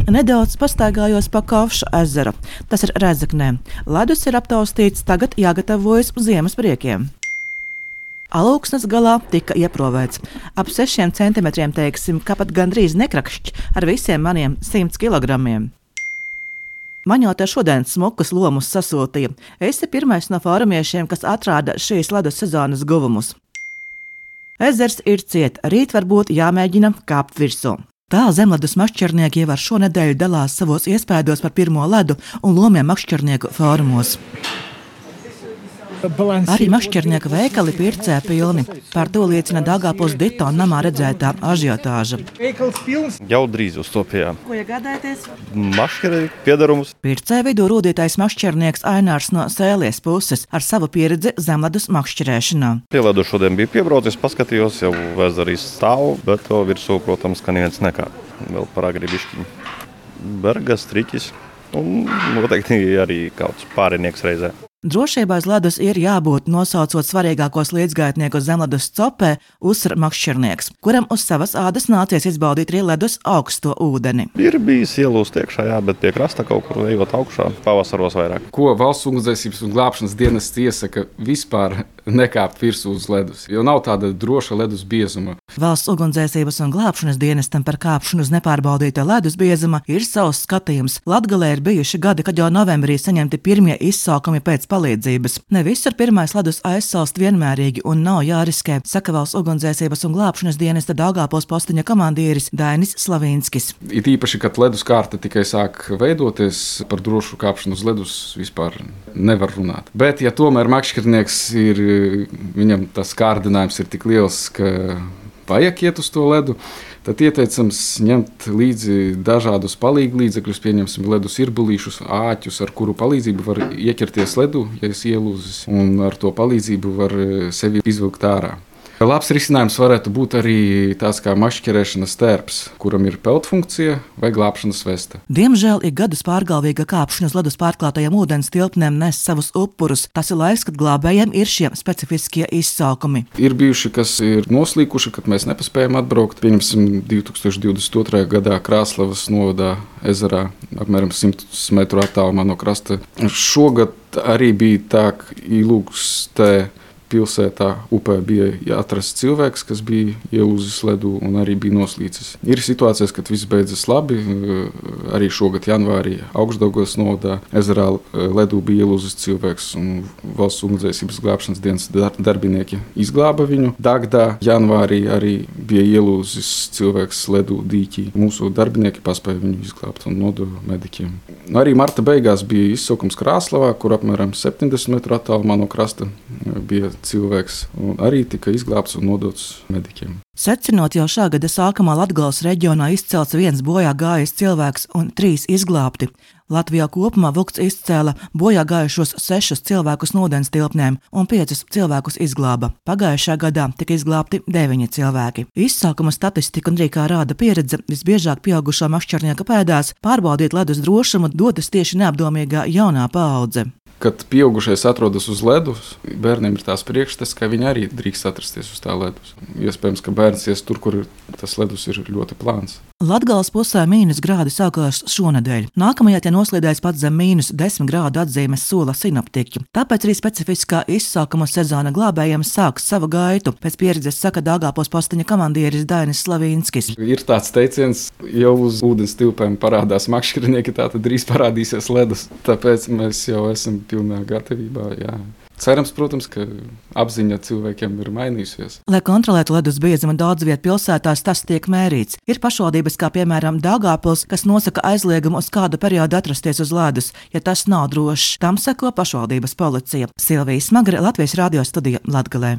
Nedaudz pastaigājos pa Kavša ezeru. Tas ir Rēzeknē. Ledus ir aptaustīts, tagad jāgatavojas ziemas priekiem. Alūksnes galā tika ieprovēts. Ap 6 centimetriem teiksim, ka pat gandrīz nekrakšķi ar visiem maniem 100 kilogramiem. Man jau te šodien smukas lomus sasūtīja. Esi pirmais no fórumiešiem, kas atrāda šīs ledus sezonas guvumus. Ezers ir ciet, rīt varbūt jāmēģina kāpt virsū. Tā zemledus makšķernieki jau ar šonedēļu dalās savos iespēdos par pirmo ledu un lomiem makšķernieku fórumos. Arī makšķernieka veikali pircē pilni. Par to liecina Daugavpils Dito namā redzētā ažiotāža. Jau drīz uztopījām. Ko iegādājaties? Makšķernieku piedarumus. Pircē vidū rūdītais makšķernieks Ainārs no Sēlies puses ar savu pieredzi zemledus makšķerēšanā. Pieledu šodien bija piebraucis, paskatījos, jau ezerīs stāv, bet to virsū, protams, ka neviens nekā. Vēl par agri bišķiņu. Bergas, triķis un noteikti arī kāds pārinieks reizē. Drošībā uz ledus ir jābūt, nosaucot svarīgākos līdzgaitniekus zemledus copē, uzsver makšķernieks, kuram uz savas ādas nācies izbaudīt arī ledus augsto ūdeni. Ir bijis ielūst iekšā, jā, bet pie krasta kaut kur ejot augšā, pavasaros vairāk. Ko Valsts ugunsdzēsības un glābšanas dienests iesaka vispār nekāpt virsū uz ledus, jo nav tāda droša ledus biezuma. Valsts ugunsdzēsības un glābšanas dienestam par kāpšanu uz nepārbaudīta ledus biezuma ir savs skatījums. Latgalē ir bijuši gadi, kad jau novembrī saņemti pirmie izsaukumi pēc palīdzības. Ne visur pirmais ledus aizsalst vienmērīgi un nav jāriskē, saka Valsts ugunsdzēsības un glābšanas dienesta Daugavpils postiņa komandieris Dainis Slavīnskis. It īpaši, kad ledus kārta tikai sāk veidoties, par drošu kāpšanu uz ledus vispār nevar runāt. Bet, ja tomēr makšķernieks ir, viņam tas kārdinājums ir tik liels, ka vajag iet uz to ledu, tad ieteicams ņemt līdzi dažādus palīglīdzekļus, pieņemsim ledus irbulīšus, āķus, ar kuru palīdzību var ieķerties ledu, ja es ielūzis, un ar to palīdzību var sevi izvilkt ārā. Labs risinājums varētu būt arī tāds kā makšķerēšanas tērps, kuram ir peltfunkcija vai glābšanas vesta. Diemžēl ik gadus pārgalvīga kāpšana uz ledus pārklātajiem ūdens tilpnēm nes savus upurus. Tas ir laiks, kad glābējiem ir šie specifiskie izsaukumi. Ir bijuši, kas ir noslīkuši, kad mēs nepaspējam atbraukt. Pieņemsim 2022. gadā Krāslavas novadā ezerā, apmēram 100 metru attālumā no krasta. Šogad arī bija tā, ka Ilūgstē pilsētā upē bija atrasts cilvēks, kas bija ielūzis ledu un arī bija noslīcis. Ir situācijas, kad viss beidzas labi. Arī šogad janvārī Augšdaugavas novadā ezerā ledū bija ielūzis cilvēks un Valsts ugunsdzēsības glābšanas dienas darbinieki izglāba viņu. Dagdā janvārī arī bija ielūzis cilvēks ledū dīķī. Mūsu darbinieki paspēja viņu izglābt un nodeva mediķiem. Arī marta beigās bija izsaukums Krāslavā, kur apmēram 70 metru attālumā no krasta bija cilvēks un arī tika izglābts un nodots mediķiem. Secinot, jau šā gada sākumā Latgales reģionā izcelts 1 bojā gājis cilvēks un 3 izglābti. Latvijā kopumā Vukts izcēla bojā gājušos 6 cilvēkus no ūdens tilpnēm un 5 cilvēkus izglāba. Pagājušā gadā tika izglābti 9 cilvēki. Izsaukuma statistika un arī kā rāda pieredze, visbiežāk pieaugušo makšķernieka pēdās pārbaudīt ledus drošumu dodas tieši neapdomīgā jaunā paudze. Kad pieaugušais atrodas uz ledus, bērniem ir tās priekšstats, ka viņi arī drīkst atrasties uz tā ledus. Iespējams, ka bērns ies tur, kur tas ledus ir ļoti plāns. Latgales pusē -grādi sākās šonedēļ. Nākamajā tie noslīdēs pat zem -10 grādu atzīmes sola sinoptiķi. Tāpēc arī specifiskā izsaukuma sezona glābējiem sāks savu gaitu. Pēc pieredzes saka Daugavpils postiņa komandieris Dainis Slavīnskis. Ir tāds teiciens, jau uz ūdens tilpēm parādās makšķernieki, tā tad drīz parādīsies ledus. Tāpēc mēs jau esam pilnā gatavībā, jā. Cerams, protams, ka apziņa cilvēkiem ir mainījusies. Lai kontrolētu ledus biezumu daudz vietu pilsētās, tas tiek mērīts. Ir pašvaldības, kā piemēram Daugavpils, kas nosaka aizliegumu uz kādu periodu atrasties uz ledus, ja tas nav drošs. Tam seko pašvaldības policija. Silvija Smagre, Latvijas radio studija Latgalē.